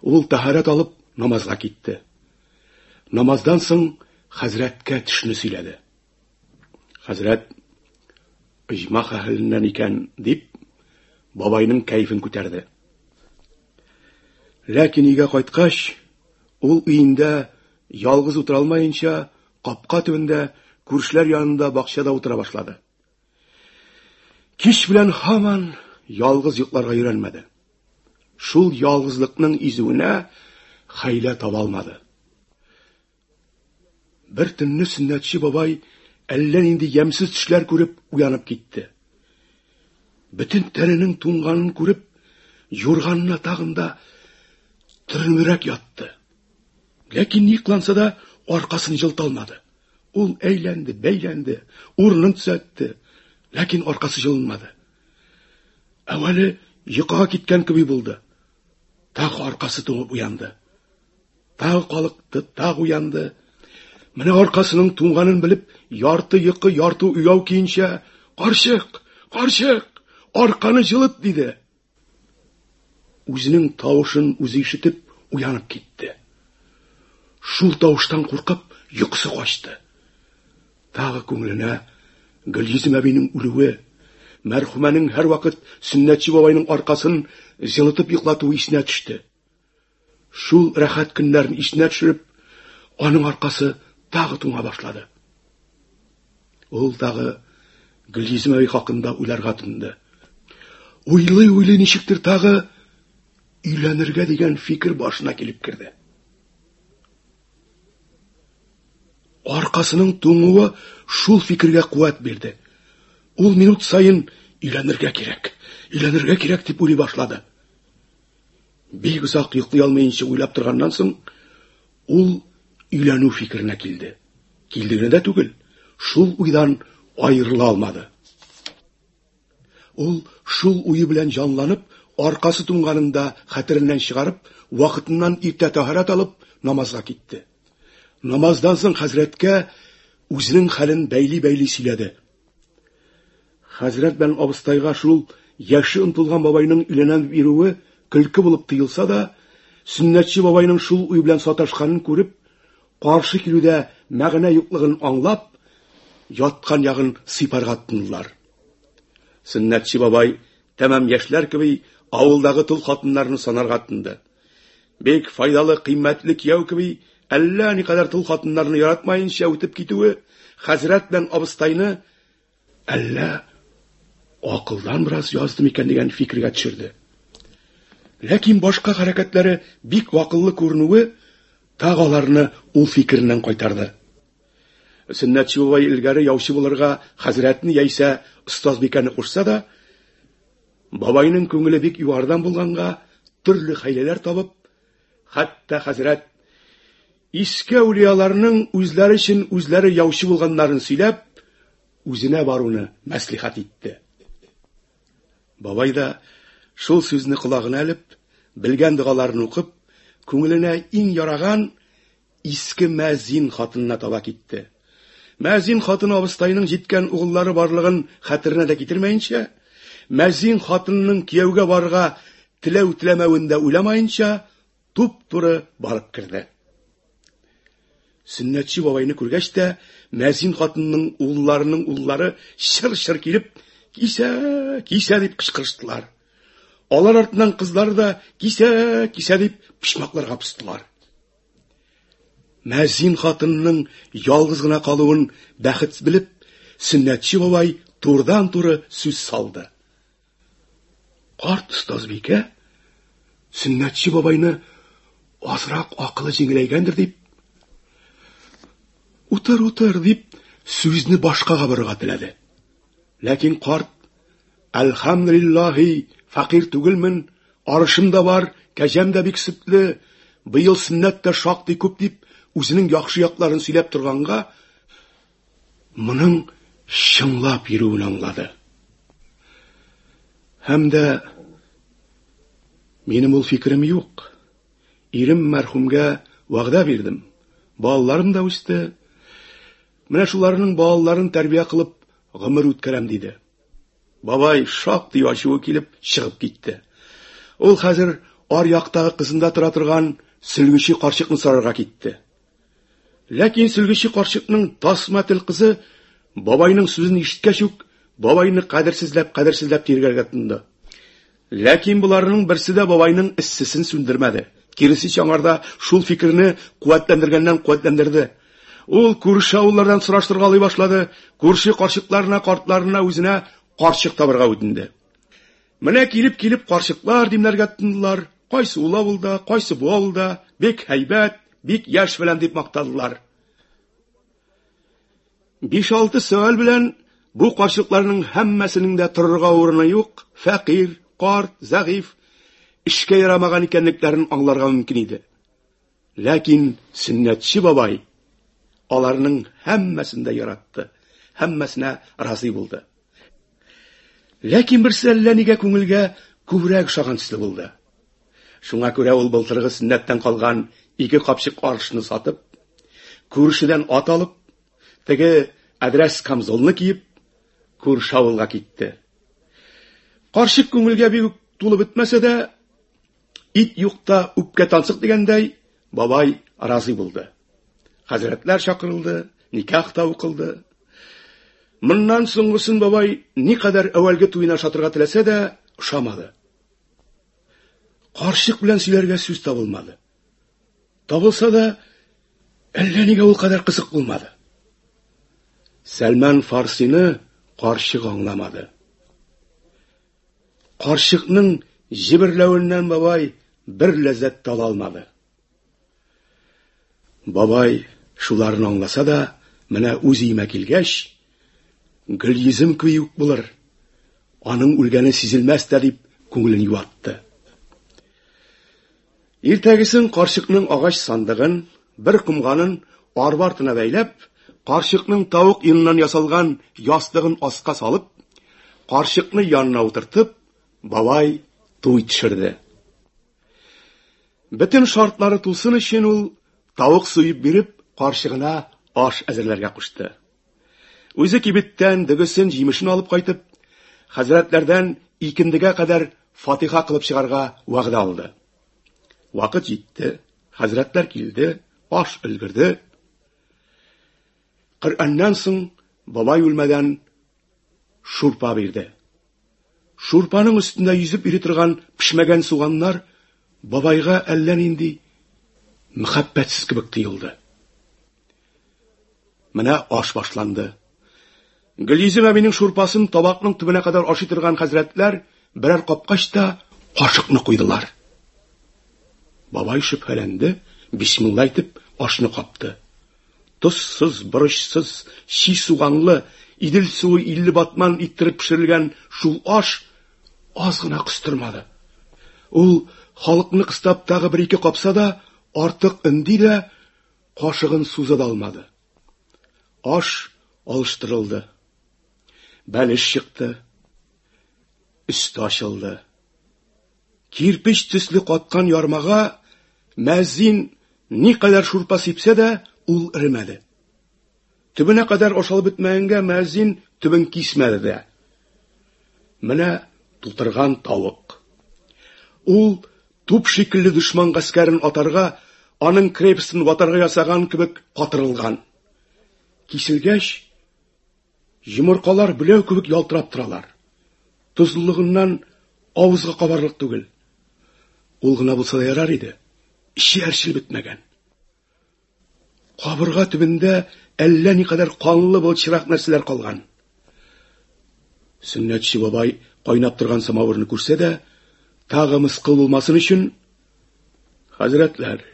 Ул тәһарәт алып намазга китте. Намаздан соң хәзрәткә төшне сөйләде. Хәзрәт оҗмах әһеленнән икән, дип, бабайның кәефен күтәрде. Ләкин өйгә кайткач, ул өендә ялгыз утыра алмаенча, капка төбендә, күршеләр янында бакчада утыра башлады. Кич белән һаман ялгыз йокларга өйрәнмәде. Шул ялгызлыкның изүенә хәйлә таба алмады. Бер төнне Сөннәтче бабай әллә нинди ямьсез төшләр күреп уянып китте. Бөтен тәненең туңганын күреп, юрганына тагын да төренебрәк ятты. Ләкин ни кыланса да аркасын җылыта алмады. Ул әйләнде, бәйләнде, урынын төзәтте, ләкин аркасы җылынмады. Әүвәле йокыга киткән кеби булды. Тагы аркасы туңып уянды. Тагы калыкты, тагы уянды. Менә аркасының туңганын белеп, ярты йокы, ярты уяу көенчә, "Карчык, карчык, арканы җылыт!" диде. Үзенең тавышын үзе ишетеп уянып китте. Шул тавыштан куркып, йокысы качты. Тагы күңеленә Гөлйөзем әбинең үлүе, мәрхүмәнең һәрвакыт Сөннәтче бабайның аркасын җылытып йоклатуы исенә төште. Шул рәхәт көннәрен исенә төшереп, аның аркасы тагы туңа башлады. Ул тагы Гөлйөзем әби хакында уйларга тотынды. Уйлый-уйлый ничектер тагы өйләнергә дигән фикер башына килеп керде. Аркасының туңуы шул фикергә куәт бирде. Ул минут саен өйләнергә кирәк, өйләнергә кирәк дип уйлый башлады. Бик озак йоклый алмыйнча уйлап торганнан соң, ул өйләнү фикеренә килде. Килде генә дә түгел, шул уйдан аерыла алмады. Ул шул уе белән җанланып, аркасы туңганын да хәтереннән чыгарып, вакытыннан иртә тәһарәт алып, намазга китте. Намаздан соң хәзрәткә үзенең хәлен бәйли-бәйли сөйләде. Хәзрәт белән абыстайга шул яше онытылган бабайның өйләнәм дип йөрүе көлке булып тоелса да, Сөннәтче бабайның шул уй белән саташканын күреп, каршы килүдә мәгънә юклыгын аңлап, яткан ягын сыйпарга тотындылар. Сөннәтче бабай тәмам яшьләр кеби авылдагы тол хатыннарны санарга тотынды. Бик файдалы, кыйммәтле кияү кеби әллә никадәр тол хатыннарны яратмаенча үтеп китүе хәзрәт белән абыстайны әллә акылдан бераз язды микән дигән фикергә төшерде. Ләкин башка хәрәкәтләре бик акыллы күренүе тагы аларны ул фикереннән кайтарды. Сөннәтче бабай элгәре яучы булырга хәзрәтне яисә остазбикәне кушса да, бабайның күңеле бик югарыдан булганга, төрле хәйләләр табып, хәтта хәзрәт иске әүлияларның үзләре өчен үзләре яучы булганнарын сөйләп, үзенә баруны мәслихәт итте. Бабай да шул сүзне колагына элеп, белгән догаларын укып, күңеленә иң яраган иске мәзин хатынына таба китте. Мәзин хатыны абыстайның җиткән угыллары барлыгын хәтеренә дә китермәенчә, мәзин хатынының кияүгә барырга теләү-теләмәвен дә уйламаенча, туп-туры барып керде. Сөннәтче бабайны күргәч тә, мәзин хатынның улларының уллары чыр-чыр килеп, кисә, кисә дип кычкырыштылар. Алар артыннан кызлары да кисә, кисә дип почмакларга постылар. Мәзин хатынның ялгыз гына калуын бәхет белеп, Сөннәтче бабай турыдан-туры сүз салды. Карт остазбикә Сөннәтче бабайны азрак акылы җиңеләйгәндер дип, утыр, утыр дип сүзне башкага борырга теләде. Ләкин карт Әлхәмдүлиллаһи, фәкыйрь түгелмен, арышым да бар, кәҗәм дә бик сөтле, быел сөннәт тә шактый күп дип, үзенең яхшы якларын сөйләп торганга, моның чынлап йөрүен аңлады. Һәм дә минем ул фикерем юк. Ирем мәрхүмгә вәгъдә бирдем. Балаларым да үсте. Менә шуларның балаларын тәрбия кылып гомер үткәрәм, диде. Бабай шактый ачуы килеп чыгып китте. Ул хәзер ар яктагы кызында тора торган сөлгече карчыкны сорарга китте. Ләкин сөлгече карчыкның тасма тел кызы бабайның сүзен ишеткәч үк бабайны кадерсезләп-кадерсезләп тиргәргә тотынды. Ләкин боларның берсе дә бабайның эссесен сүндермәде. Киресенчә, аңарда шул фикерне куәтләндергәннән куәтләндерде. Ул күрше авыллардан сораштыргалый башлады, күрше карчыкларына, картларына үзенә карчык табырга үтенде. Менә килеп-килеп карчыклар димләргә тотындылар. Кайсы ул авылда, кайсы бу авылда, бик һәйбәт, бик яшь белән дип мактадылар. Биш-алты сөаль белән бу карчыкларның һәммәсенең дә торырга урыны юк, фәкыйрь, карт, зәгыйфь, эшкә ярамаган икәнлекләрен аңларга мөмкин иде. Ләкин Сөннәтче бабай аларның һәммәсен дә яратты, һәммәсенә разый булды. Ләкин берсе әллә нигә күңелгә күбрәк ошаган төсле булды. Шуңа күрә ул былтыргы сөннәттән калган ике капчык арышны сатып, күршедән ат алып, теге әдрәс камзолны киеп, күрше авылга китте. Карчык күңелгә бик үк тулып бетмәсә дә, ит юкта үпкә тансык дигәндәй, бабай разый булды. Хәзрәтләр чакырылды, никах та укылды. Моннан соңгысын бабай никадәр әүвәлге туена ошатырга теләсә дә, ошамады. Карчык белән сөйләргә сүз табылмады. Табылса да, әллә нигә ул кадәр кызык булмады. Сәлман Фарсины карчык аңламады. Карчыкның җиберләвеннән бабай бер ләззәт тә ала алмады. Бабай шуларны аңласа да, менә үз өемә килгәч, Гөлйөзем кеби үк булыр, аның үлгәне сизелмәс тә дип күңелен юатты. Иртәгесен карчыкның агач сандыгын, бер комганын арба артына бәйләп, карчыкның тавык йоныннан ясалган ястыгын аска салып, карчыкны янына утыртып, бабай туй төшерде. Бөтен шартлары тулсын өчен ул тавык суеп биреп, карчыгына аш әзерләргә кушты. Үзе кибеттән дөгесен, җимешен алып кайтып, хәзрәтләрдән икендегә кадәр фатиха кылып чыгарга вәгъдә алды. Вакыт җитте, хәзрәтләр килде, аш өлгерде. Коръәннән соң бабай үлмәдән шурпа бирде. Шурпаның өстендә йөзеп йөри торган пешмәгән суганнар бабайга әллә нинди мәхәббәтсез кебек тоелды. Менә аш башланды. Гөлйөзем әбинең шурпасын табакның төбенә кадәр ашый торган хәзрәтләр берәр капкач та кашыкны куйдылар. Бабай шөбһәләнде, бисмилла әйтеп ашны капты. Тозсыз, борычсыз, чи суганлы, Идел суы 50 батман иттереп пешерелгән шул аш аз гына кыстырмады. Ул халыкны кыстап тагы бер-ике капса да, артык өнди дә, кашыгын суза да алмады. Аш алыштырылды. Бәлеш чыкты. Өсте ачылды. Кирпеч төсле каткан ярмага мәзин никадәр шурпа сипсә дә, ул эремәде. Төбенә кадәр ашалып бетмәгәнгә мәзин төбен кисмәде дә. Менә тутырган тавык. Ул туп шикелле дошман гаскәрен атарга, аның крепостен ватарга ясаган кебек катырылган. Киселгәч, йомыркалар беләү кебек ялтырап торалар. Тозлылыгыннан авызга кабарлык түгел. Ул гына булса да ярар иде. Эче әрчелеп бетмәгән. Кабырга төбендә әллә никадәр канлы былчырак нәрсәләр калган. Сөннәтче бабай кайнап торган самавырны күрсә дә, тагы мыскыл булмасын өчен, хәзрәтләр,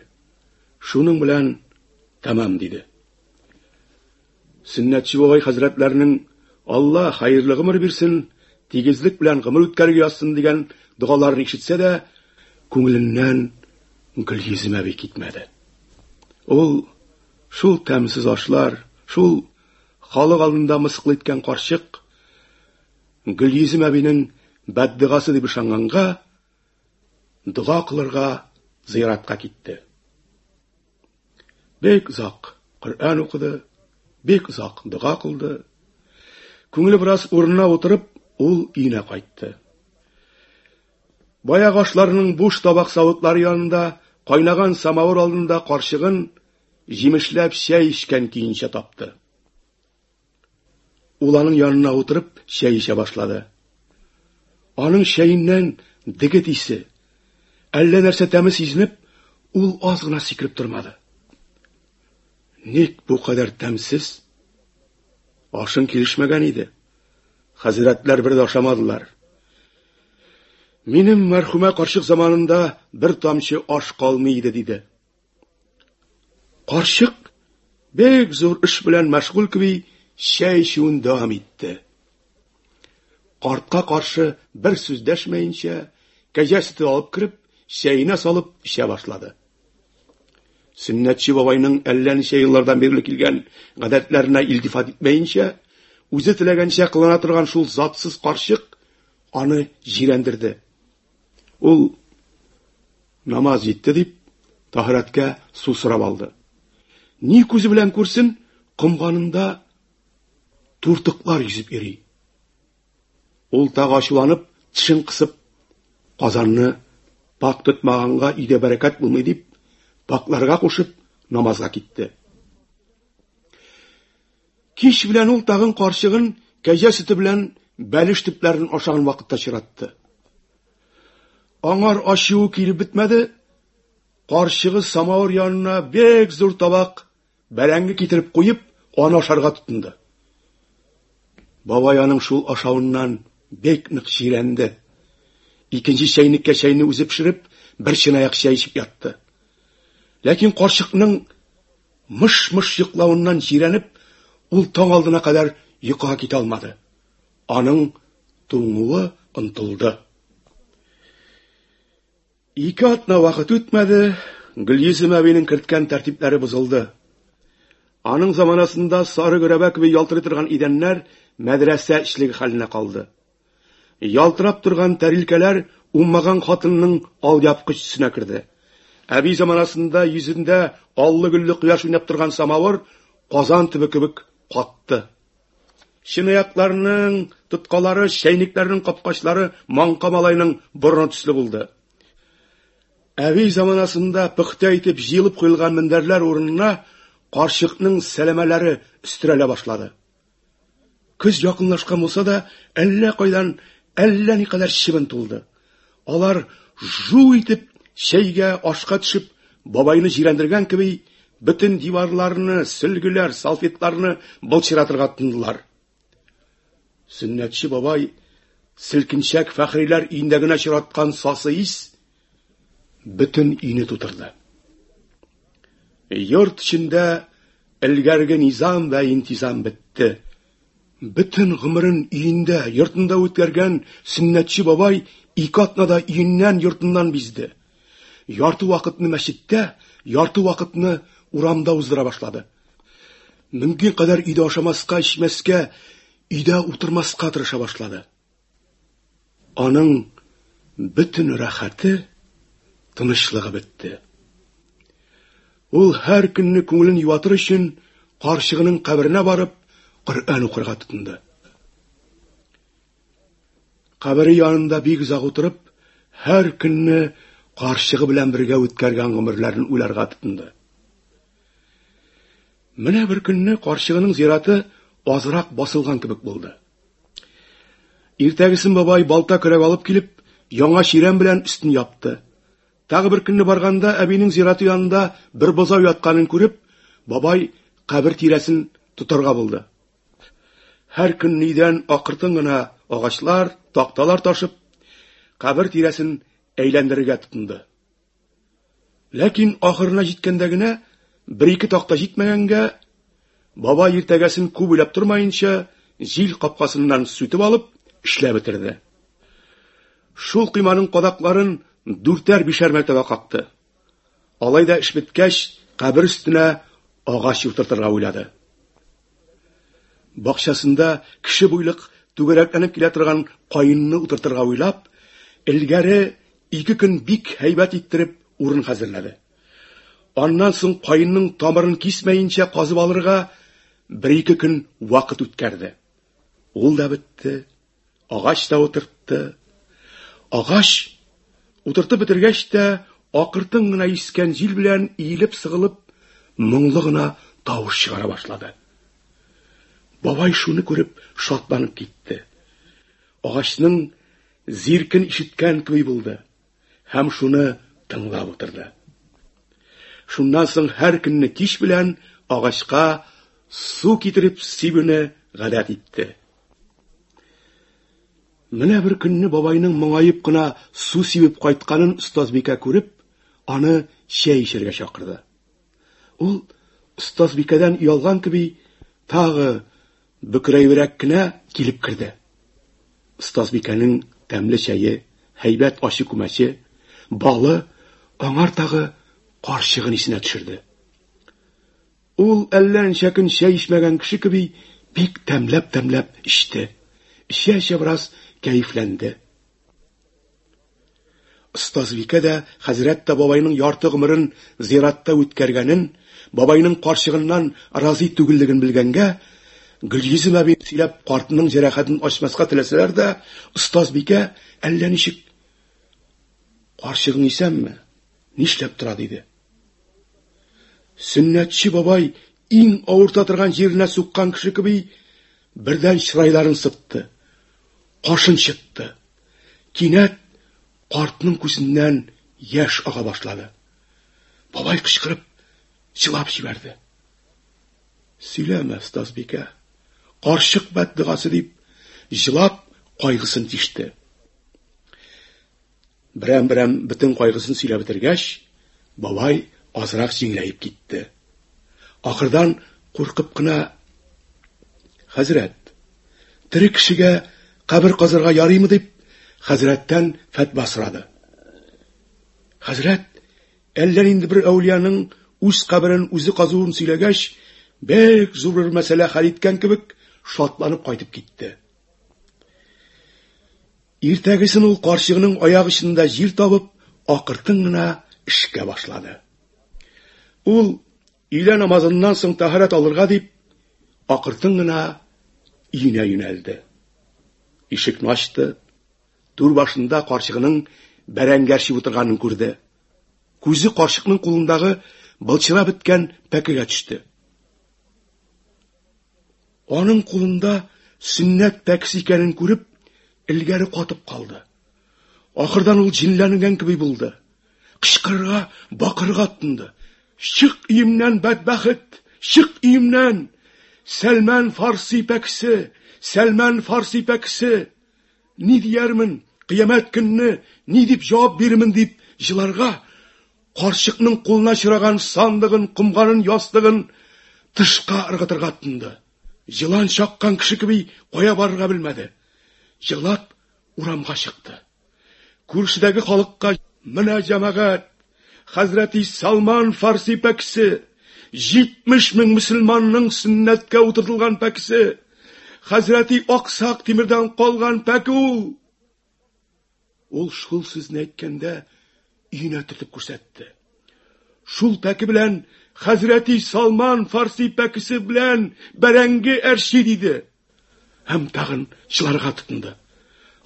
шуның белән тәмам диде. Сөннәтче бабай хәзрәтләренең Алла хәерле гомер бирсен, тигезлек белән гомер үткәрергә язсын дигән догаларын ишетсә дә, күңеленнән Гөлйөзем әби китмәде. Ул шул тәмсез ашлар, шул халык алдында мыскыл иткән карчык Гөлйөзем әбинең бәддогасы дип ышанганга, дога кылырга зыяратка китте. Бик озак Коръән укыды, бик озак дога кылды. Күңеле бераз урынына утырып, ул өенә кайтты. Баягы ашларның буш табак савытлары янында, кайнаган самавыр алдында карчыгын җимешләп чәй эчкән көенчә тапты. Ул аның янына утырып чәй эчә башлады. Аның чәеннән дегет исе, әллә нәрсә тәме сизенеп, ул аз гына сикереп тормады. Ник бу кадәр тәмсез? Ашың килешмәгән иде. Хәзрәтләр бер дә ашамадылар. Минем мәрхүмә карчык заманында бер тамчы аш калмый иде, диде. Карчык бик зур эш белән мәшгуль кеби чәй эчүен дәвам итте. Картка каршы бер сүз дәшмәенчә, кәҗә сөте алып кереп, чәенә салып эчә башлады. Сөннәтче бабайның әллә ничә еллардан бирле килгән гадәтләренә илтифат итмәенчә, үзе теләгәнчә кылана торган шул затсыз карчык аны җирәндерде. Ул намаз җитте дип, таһирәткә су сорап алды. Ни күзе белән күрсен, комганында туртыклар йөзеп йөри. Ул тагы ачуланып, тешен кысып, казанны пак тотмаганга өйдә бәрәкәт булмый дип, пакларга кушып, намазга китте. Кич белән ул тагын карчыгын кәҗә сөте белән бәлеш төпләрен ашаган вакытта чиратты. Аңар ачуы килеп бетмәде, карчыгы самавыр янына бик зур табак бәрәңге китереп куеп, аны ашарга тотынды. Бабай аның шул ашавыннан бик нык җирәнде. Икенче чәйнеккә чәйне үзе пешереп, бер чынаяк чәй эчеп ятты. Ләкин карчыкның мыш-мыш йоклавыннан җирәнеп, ул таң алдына кадәр йокыга китә алмады. Аның туңуы онтылды. Ике атна вакыт үтмәде, Гөлйөзем әбинең керткән тәртипләре бозылды. Аның заманасында сары гөрәбә кебек ялтырый торган идәннәр мәдрәсә эчлеге хәленә калды. Ялтырап торган тәрилкәләр уңмаган хатынның алъяпкыч төсенә керде. Әби заманасында йөзендә аллы-гөлле кояш уйнап торган самавыр казан төбе кебек катты. Чынаякларның тоткалары, чәйнекләрнең капкачлары маңка малайның борыны төсле булды. Әби заманасында пөхтә итеп җыелып куелган мендәрләр урынына карчыкның сәләмәләре өстерәлә башлады. Көз якынлашкан булса да, әллә кайдан әллә никадәр чебен тулды. Алар жу итеп чәйгә, ашка төшеп, бабайны җирәндергән кеби, бөтен диварларны, сөлгеләр, салфетларны былчыратырга тотындылар. Сөннәтче бабай селкенчәк Фәхриләр өендә генә очраткан сасы ис бөтен өйне тутырды. Йорт эчендә элгәрге низам вә интизам бетте. Бөтен гомерен өендә, йортында үткәргән сөннәтче бабай ике атнада өеннән, йортыннан бизде. Ярты вакытны мәчеттә, ярты вакытны урамда уздыра башлады. Мөмкин кадәр өйдә ашамаска, эчмәскә, өйдә утырмаска тырыша башлады. Аның бөтен рәхәте, тынычлыгы бетте. Ул һәр көнне күңелен юатыр өчен карчыгының каберенә барып, Коръән укырга тотынды. Кабере янында бик озак утырып, һәр көнне карчыгы белән бергә үткәргән гомерләрен уйларга тотынды. Менә бер көнне карчыгының зираты азрак басылган кебек булды. Иртәгесен бабай балта көрәк алып килеп, яңа чирәм белән өстен япты. Тагы бер көнне барганда әбинең зираты янында бер бозау ятканын күреп, бабай кабер тирәсен тотарга булды. Һәр көн өйдән акыртын гына агачлар, такталар ташып, кабер тирәсен әйләндерергә тотынды. Ләкин ахырына җиткәндә генә бер-ике такта җитмәгәнгә, бабай иртәгәсен күп уйлап тормаенча, җил капкасыннан сүтеп алып, эшләп бетерде. Шул койманың кадакларын дүртәр-бишәр мәртәбә какты. Алай да эш беткәч, кабер өстенә агач утыртырга уйлады. Бакчасында кеше буйлык түгәрәкләнеп килә торган каенны утыртырга уйлап, элгәре ике көн бик һәйбәт иттереп урын хәзерләде. Аннан соң каенның тамырын кисмәенчә казып алырга бер-ике көн вакыт үткәрде. Ул да бетте, агач та утыртты. Агач утыртып бетергәч тә, акыртын гына искән җил белән иелеп-сыгылып, моңлы гына тавыш чыгара башлады. Бабай шуны күреп шатланып китте. Агачның зиркен ишеткән кеби булды һәм шуны тыңлап утырды. Шуннан соң һәр көнне кич белән агачка су китереп сибүне гадәт итте. Менә бер көнне бабайның моңаеп кына су сибеп кайтканын остазбикә күреп, аны чәй эчәргә чакырды. Ул остазбикәдән оялган кеби тагы бөкрәебрәк кенә килеп керде. Остазбикәнең тәмле чәе, һәйбәт ачы күмәче, балы аңар тагы карчыгын исенә төшерде. Ул әллә ничә көн чәй эчмәгән кеше кеби бик тәмләп-тәмләп эчте. Эчә-эчә бераз кәефләнде. Остазбикә дә, хәзрәт тә бабайның ярты гомерен зиратта үткәргәнен, бабайның карчыгыннан разый түгеллеген белгәнгә, Гөлйөзем әби сөйләп картының җәрәхәтен ачмаска теләсәләр дә, остазбикә әллә ничек Карчыгың исәнме? Нишләп тора? диде. Сөннәтче бабай иң авырта торган җиренә суккан кеше кеби бердән чырайларын сытты, кашын чытты. Кинәт картның күзеннән яшь ага башлады. Бабай кычкырып җылап җибәрде. Сөйләмә, остазбикә. Карчык бәддогасы дип, җылап кайгысын тиште. Берәм-берәм бөтен кайгысын сөйләп бетергәч, бабай азрак җиңеләеп китте. Ахырдан куркып кына Хәзрәт, тере кешегә кабер казырга ярыймы дип, хәзрәттән фәтва сорады. Хәзрәт әллә нинди бер әүлияның үз каберен үзе казуын сөйләгәч, бик зур бер мәсьәлә хәл иткән кебек, шатланып кайтып китте. Иртәгесен ул карчыгының аяк очында җир табып, акыртын гына эшкә башлады. Ул өйлә намазыннан соң тәһарәт алырга дип, акыртын гына өенә юнәлде. Ишекне ачты. Түр башында карчыгының бәрәңге әрчеп утырганын күрде. Күзе карчыкның кулындагы былчырап беткән пәкегә төште. Аның кулында сөннәт пәкесе икәнен күреп, элгәре катып калды. Ахырдан ул җенләнгән кеби булды. Кычкырырга, бакырырга тотынды. Чык өемнән, бәдбәхет! Чык өемнән! Сәлмән Фарси пәкесе! Сәлмән Фарси пәкесе! Ни диярмен, кыямәт көнне ни дип җавап бирермен дип җыларга, карчыкның кулына чыраган сандыгын, комганын, ястыгын тышка ыргытырга тотынды. Җылан чаккан кеше кеби кая барырга белмәде. Җылап урамга чыкты. Күршедәге халыкка менә җәмәгать, хәзрәти Салман Фарси пәкесе, 70 мең мөселманның сөннәткә утыртылган пәкесе, хәзрәти Аксак Тимердән калган пәке ул. Ул шул сүзне әйткәндә өенә төртеп күрсәтте. Шул пәке белән хәзрәти Салман Фарси пәкесе белән бәрәңге әрчи диде. Һәм тагын чыларга тотынды.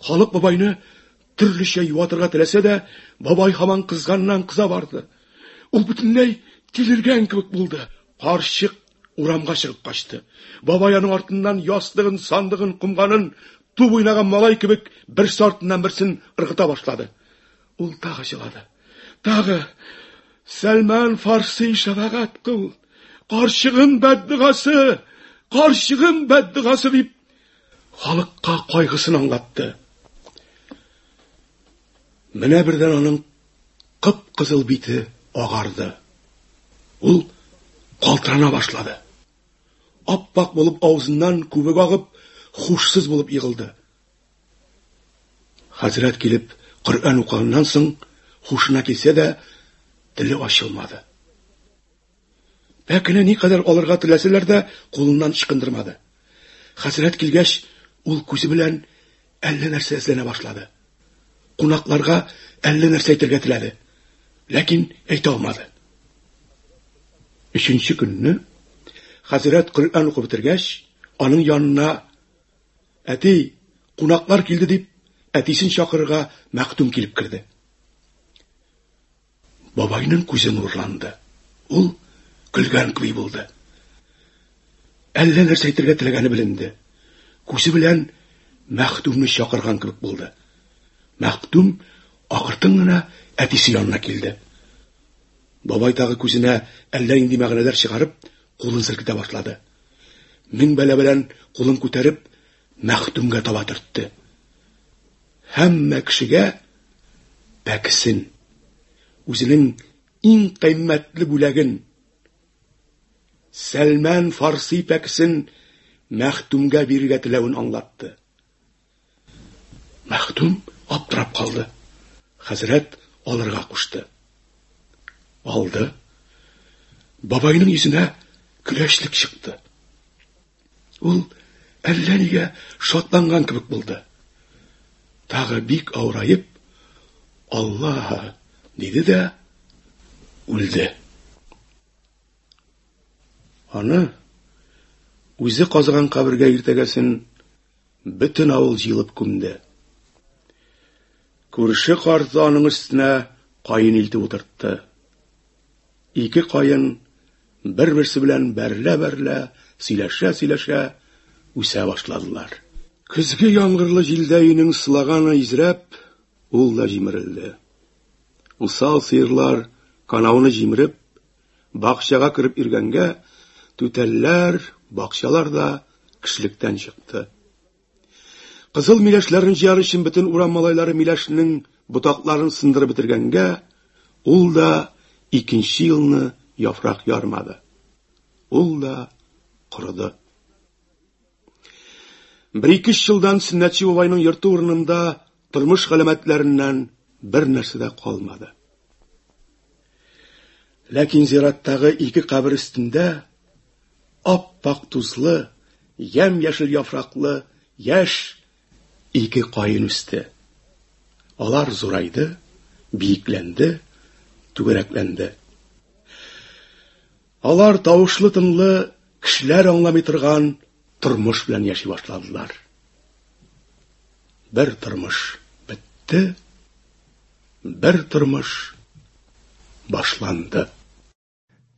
Халык бабайны төрлечә юатырга теләсә дә, бабай һаман кызганнан кыза барды. Ул бөтенләй тилергән кебек булды. Карчык урамга чыгып качты. Бабай аның артыннан ястыгын, сандыгын, комганын туп уйнаган малай кебек берсе артыннан берсен ыргыта башлады. Ул тагы җылады. Тагы Сәлман Фарси шәфәгать кыл. Карчыгым бәддогасы, карчыгым бәддогасы дип халыкка кайгысын аңлатты. Менә бердән аның кып-кызыл бите агарды. Ул калтырана башлады. Аппак булып авызыннан күбек агып, хушсыз булып егылды. Хәзрәт килеп Коръән укыганнан соң хушына килсә дә, теле ачылмады. Пәкене никадәр алырга теләсәләр дә, кулыннан ычкындырмады. Хәзрәт килгәч, ул күзе белән әллә нәрсә эзләнә башлады. Кунакларга әллә нәрсә әйтергә теләде, ләкин әйтә алмады. Өченче көнне хәзрәт Коръән укып бетергәч, аның янына Әти, кунаклар килде дип, әтисен чакырырга мәхдүм килеп керде. Бабайның күзе нурланды. Ул көлгән кеби булды. Әллә нәрсә әйтергә теләгәне беленде. Күзе белән мәхдүмне чакырган кебек булды. Мәхдүм акыртын гына әтисе янына килде. Бабай тагы күзенә әллә нинди мәгънәләр чыгарып, кулын селкетә башлады. Мең бәла белән кулын күтәреп, мәхдүмгә таба төртте. Һәммә кешегә пәкесен, үзенең иң кыйммәтле бүләген, Сәлмән Фарси пәкесен Мәхтүмгә бирергә теләвен аңлатты. Мәхтүм аптырап калды. Хәзрәт алырга кушты. Алды. Бабайның йөзенә көләчлек чыкты. Ул әллә нигә шатланган кебек булды. Тагы бик авыраеп, Аллаһ диде дә үлде. Аны үзе казыган кабергә иртәгәсен бөтен авыл җыелып күмде. Күрше карты аның өстенә каен илтеп утыртты. Ике каен бер-берсе белән бәрелә-бәрелә, сөйләшә-сөйләшә үсә башладылар. Көзге яңгырлы җилдә өйнең сылаганы изрәп, ул да җимерелде. Усал сыерлар канауны җимереп, бакчага кереп йөргәнгә, түтәлләр, бакчалар да кешелектән чыкты. Кызыл миләшләрне җыяр өчен бөтен урам малайлары миләшнең ботакларын сындырып бетергәнгә, ул да икенче елны яфрак ярмады. Ул да корыды. Бер-ике елдан Сөннәтче бабайның йорты урынында тормыш галәмәтләреннән бер нәрсә дә калмады. Ләкин зираттагы ике кабер өстендә ап-ак тузлы, ямь-яшел яфраклы яшь ике каен үсте. Алар зурайды, биекләнде, түгәрәкләнде. Алар тавышлы-тынлы, кешеләр аңламый торган тормыш белән яши башладылар. Бер тормыш бетте, бер тормыш башланды.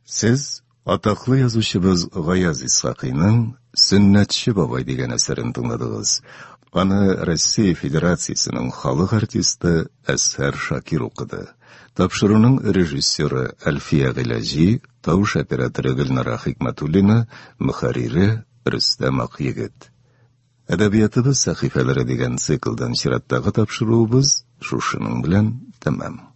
Сез атаклы язучыбыз Гаяз Исхакыйның Сөннәтче бабай дигән әсәрен тыңладыгыз. Аны Россия Федерациясенең халык артисты Әзһәр Шакир укыды. Тапшыруның режиссеры Әлфия Гыйләҗи, тавыш операторы Гөлнара Хикмәтуллина, мөхәррире Рөстәм Акъегет. Әдәбиятыбыз сәхифәләре дигән циклдан чираттагы тапшыруыбыз шушының белән тәмам.